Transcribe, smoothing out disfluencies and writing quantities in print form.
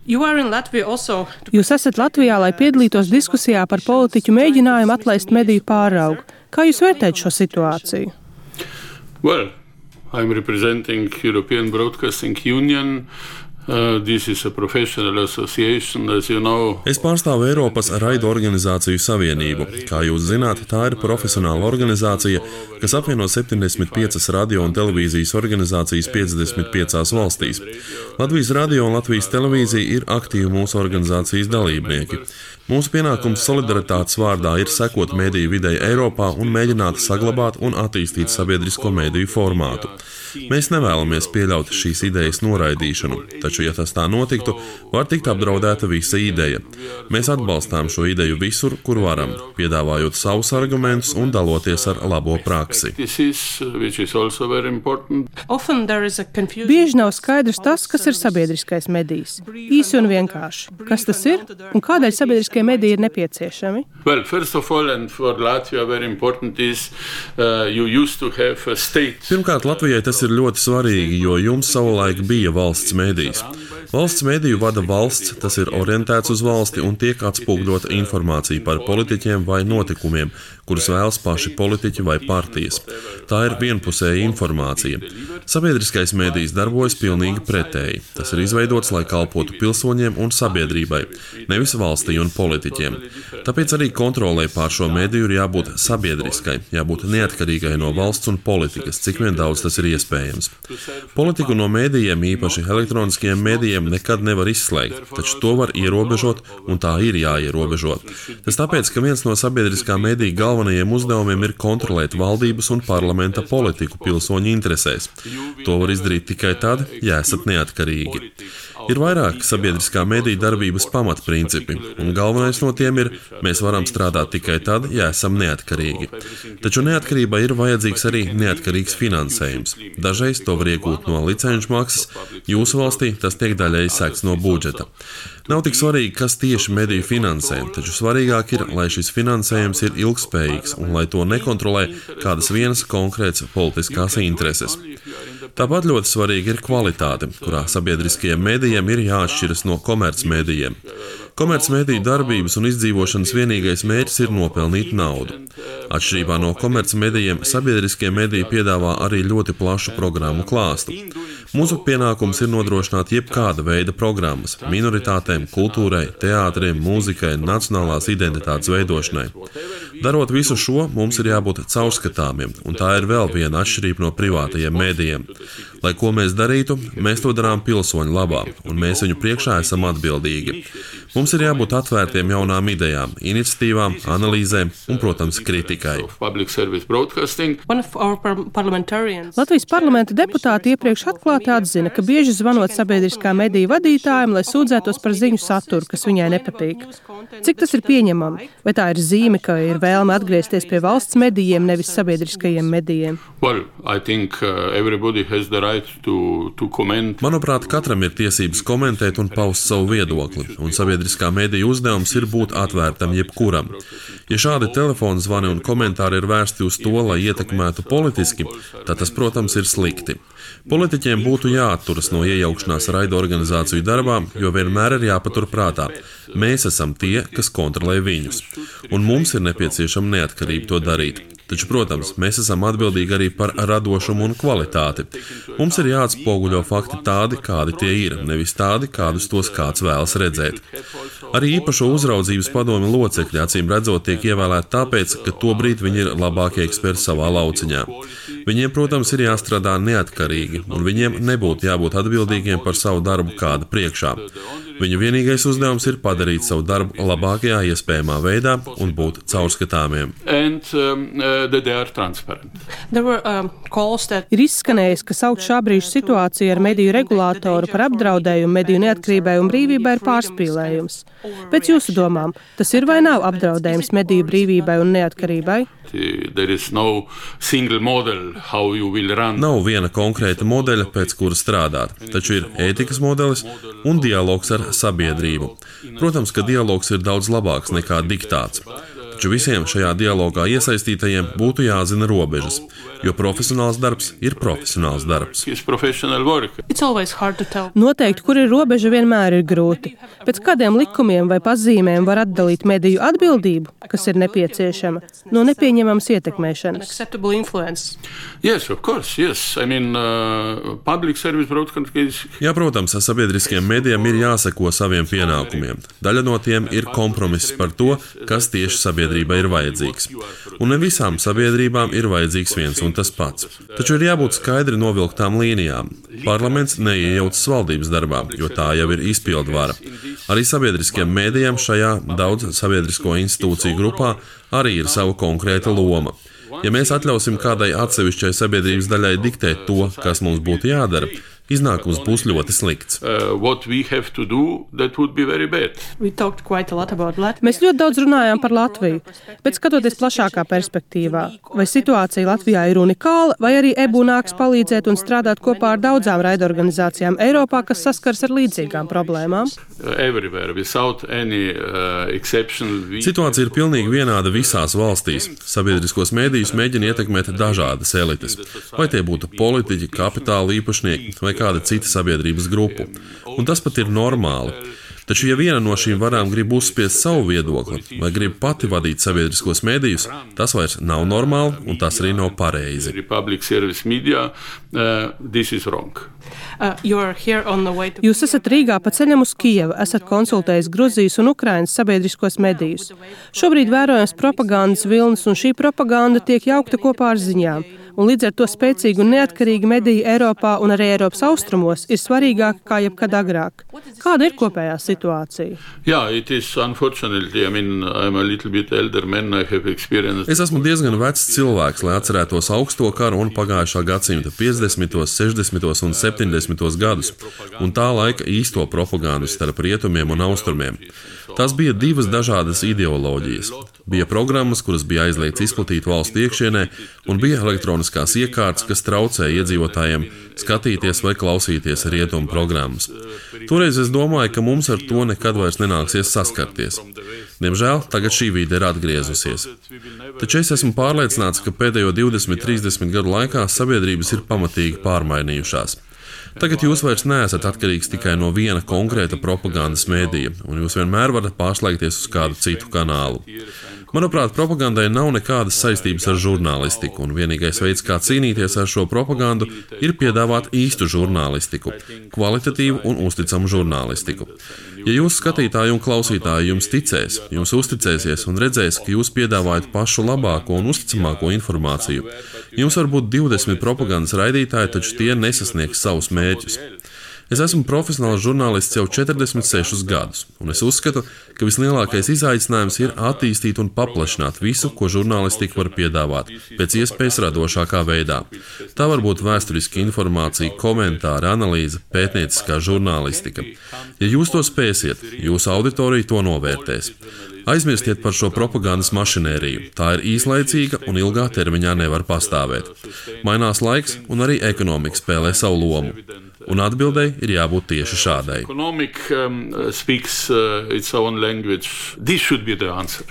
Jūs esat Latvijā, lai piedalītos diskusijā par politiķu mēģinājumu atlaist mediju pāraugu. Kā jūs vērtējat šo situāciju? Well, I'm representing European Broadcasting Union. This is a professional association, as you know. Es pārstāvu Eiropas raidu organizāciju savienību. Kā jūs zināt, tā ir profesionāla organizācija, kas apvieno 75 radio un televīzijas organizācijas 55 valstīs. Latvijas radio un Latvijas televīzija ir aktīvi mūsu organizācijas dalībnieki. Mūsu pienākums solidaritātes vārdā ir sekot mediju videi Eiropā un mēģināt saglabāt un attīstīt sabiedrisko mediju formātu. Mēs nevēlamies pieļaut šīs idejas noraidīšanu, taču, ja tas tā notiktu, var tikt apdraudēta visa ideja. Mēs atbalstām šo ideju visur, kur varam, piedāvājot savus argumentus un daloties ar labo praksi. Bieži nav skaidrs tas, kas ir sabiedriskais medijs. Īsi un vienkārši. Kas tas ir un kādēļ sabiedriskie mediji ir nepieciešami? Well, first of all, and for Latvia very important is you used to have a state. Pirmkārt, Latvijai tas ir ļoti svarīgi, jo jums savulaik bija valsts medijs. Valsts mediju vada valsts, tas ir orientēts uz valsti un tiek atspūgļota informācija par politiķiem vai notikumiem, kurus vēlas paši politiķi vai partijas. Tā ir vienpusēja informācija. Sabiedriskais medijs darbojas pilnīgi pretēji. Tas ir izveidots, lai kalpotu pilsoņiem un sabiedrībai, nevis valstī un politiķiem. Tāpēc arī kontrolē pār šo mediju ir jābūt sabiedriskai, jābūt neatkarīgai no valsts un politikas, cik vien daudz tas ir iespējams. Politiku no medijiem, īpaši elektroniskajiem medijiem, nekad nevar izslēgt, taču to var ierobežot, un tā ir jāierobežo. Tas tāpēc, ka viens no sabiedriskā medija galvenajiem uzdevumiem ir kontrolēt valdības un parlamenta politiku pilsoņu interesēs. To var izdarīt tikai tad, ja esat neatkarīgi. Ir vairāk sabiedriskā medija darbības pamatprincipi, un galvenais no tiem ir, mēs varam strādāt tikai tad, ja esam neatkarīgi. Taču neatkarībai ir vajadzīgs arī neatkarīgs finansējums. Dažreiz to var iegūt no licenču maksas, jūsu valstī tas tiek daļēji sekts no budžeta. Nav tik svarīgi, kas tieši mediju finansē, taču svarīgāk ir, lai šis finansējums ir ilgspējīgs un lai to nekontrolē kādas vienas konkrētas politiskās intereses. Tāpat ļoti svarīga ir kvalitāte, kurā sabiedriskajiem medijiem ir jāatšķiras no komercmedijiem. Komercmediju darbības un izdzīvošanas vienīgais mērķis ir nopelnīt naudu. Atšķirībā no komercmedijiem, sabiedriskie mediji piedāvā arī ļoti plašu programmu klāstu. Mūsu pienākums ir nodrošināt jebkāda veida programmas – minoritātēm, kultūrai, teātriem, mūzikai, nacionālās identitātes veidošanai. Darot visu šo, mums ir jābūt caurskatāmiem, un tā ir vēl viena atšķirība no privātajiem medijiem. Lai ko mēs darītu, mēs to darām pilsoņu labā, un mēs viņu priekšā esam atbildīgi. Mums ir jābūt atvērtiem jaunām idejām, iniciatīvām, analīzēm un, protams, kritikai. Latvijas parlamenta deputāti iepriekš atklāti atzina, ka bieži zvanot sabiedriskā mediju vadītājiem, lai sūdzētos par ziņu saturu, kas viņai nepatīk. Cik tas ir pieņemami? Vai tā ir zīme, ka ir vēlme atgriezties pie valsts medijiem, nevis sabiedriskajiem medijiem? Manuprāt, katram ir tiesības komentēt un paust savu viedokli, un sabiedriskā mediju uzdevums ir būt atvērtam jebkuram. Ja šādi telefona zvani un komentāri ir vērsti uz to, lai ietekmētu politiski, tad tas, protams, ir slikti. Politiķiem būtu jāatturas no iejaukšanās raidu organizāciju darbā, jo vienmēr ir jāpatur prātā. Mēs esam tie, kas kontrolē viņus, un mums ir nepieciešama neatkarība to darīt. Taču, protams, mēs esam atbildīgi arī par radošumu un kvalitāti. Mums ir jāatspoguļo fakti tādi, kādi tie ir, nevis tādi, kādus tos kāds vēlas redzēt. Arī īpašo uzraudzības padomi locekļi, acīm redzot, tiek ievēlēti tāpēc, ka tobrīd viņi ir labākie eksperti savā lauciņā. Viņiem, protams, ir jāstrādā neatkarīgi, un viņiem nebūtu jābūt atbildīgiem par savu darbu kāda priekšā. Viņu vienīgais uzdevums ir padarīt savu darbu labākajā iespējamā veidā un būt caurskatāmiem. Ir izskanējis, ka saukt šā brīža situāciju ar mediju regulātoru par apdraudējumu mediju neatkarībai un brīvībai ir pārspīlējums. Pēc jūsu domām, tas ir vai nav apdraudējums mediju brīvībai un neatkarībai? Nav viena konkrēta modeļa, pēc kura strādāt, taču ir ētikas modelis un dialogs ar sabiedrību. Protams, ka dialogs ir daudz labāks nekā diktāts. Taču visiem šajā dialogā iesaistītajiem būtu jāzina robežas, jo profesionāls darbs ir profesionāls darbs. Noteikti, kur ir robeža, vienmēr ir grūti. Pēc kādiem likumiem vai pazīmēm var atdalīt mediju atbildību, kas ir nepieciešama, no nepieņemamas ietekmēšanas? Yes, of course, yes. I mean, public service broadcasting. Jā, protams, sabiedriskiem medijiem ir jāseko saviem pienākumiem. Daļa no tiem ir kompromiss par to, kas tieši sabiedrībai ir vajadzīgs. Un ne visām sabiedrībām ir vajadzīgs viens un tas pats. Taču ir jābūt skaidri novilktām līnijām. Parlaments neiejaucas valdības darbā, jo tā jau ir izpildvara. Arī sabiedriskiem medijiem šajā daudz sabiedrisko institūciju grupā arī ir sava konkrēta loma. Ja mēs atļausim kādai atsevišķai sabiedrības daļai diktēt to, kas mums būtu jādara, iznākums būs ļoti slikts. Mēs ļoti daudz runājām par Latviju, bet skatoties plašākā perspektīvā, vai situācija Latvijā ir unikāla, vai arī EBU nāks palīdzēt un strādāt kopā ar daudzām raidorganizācijām Eiropā, kas saskars ar līdzīgām problēmām? Situācija ir pilnīgi vienāda visās valstīs. Sabiedriskos mēdījus mēģina ietekmēt dažādas elites, vai tie būtu politiķi, kapitāla īpašnieki vai kāda cita sabiedrības grupu. Un tas pat ir normāli. Taču, ja viena no šīm varām grib uzspiest savu viedokli vai grib pati vadīt sabiedriskos mēdījus, tas vairs nav normāli un tas arī nav pareizi. Jūs esat Rīgā pa ceļam uz Kijevu, esat konsultējis Gruzijas un Ukrainas sabiedriskos medijus. Šobrīd vērojams propagandas vilnis, un šī propaganda tiek jaukta kopā ar ziņām. Un līdz ar to spēcīgi un neatkarīgi mediji Eiropā un arī Eiropas austrumos ir svarīgāki kā jebkad agrāk. Kāda ir kopējā situācija? Es esmu diezgan vecs cilvēks, lai atcerētos augsto karu un pagājušā gadsimta 50., 60. un 70. gadus, un tā laika īsto propagandu starp rietumiem un austrumiem. Tās bija divas dažādas ideoloģijas. Bija programmas, kuras bija aizliegts izplatīt valstu iekšienē, un bija elektroniskās iekārtas, kas traucēja iedzīvotājiem skatīties vai klausīties rietumu programmas. Toreiz es domāju, ka mums ar to nekad vairs nenāksies saskarties. Diemžēl tagad šī vide ir atgriezusies. Taču es esmu pārliecināts, ka pēdējo 20-30 gadu laikā sabiedrības ir pamatīgi pārmainījušās. Tagad jūs vairs neesat atkarīgs tikai no viena konkrēta propagandas mēdīja, un jūs vienmēr varat pārslēgties uz kādu citu kanālu. Manuprāt, propagandai nav nekādas saistības ar žurnālistiku, un vienīgais veids, kā cīnīties ar šo propagandu, ir piedāvāt īstu žurnālistiku, kvalitatīvu un uzticamu žurnālistiku. Ja jūsu skatītāji un klausītāji jums ticēs, jums uzticēsies un redzēs, ka jūs piedāvājat pašu labāko un uzticamāko informāciju, jums var būt 20 propagandas raidītāji, taču tie nesasniegs savus mērķus. Es esmu profesionāls žurnālists jau 46 gadus, un es uzskatu, ka vislielākais izaicinājums ir attīstīt un paplašināt visu, ko žurnālistika var piedāvāt, pēc iespējas radošākā veidā. Tā var būt vēsturiska informācija, komentāri, analīze, pētnieciskā žurnālistika. Ja jūs to spēsiet, jūsu auditorija to novērtēs. Aizmirstiet par šo propagandas mašinēriju. Tā ir īslaicīga un ilgā termiņā nevar pastāvēt. Mainās laiks un arī ekonomika spēlē savu lomu. Un atbildei ir jābūt tieši šādai. Economic speaks its own language. This should be the answer.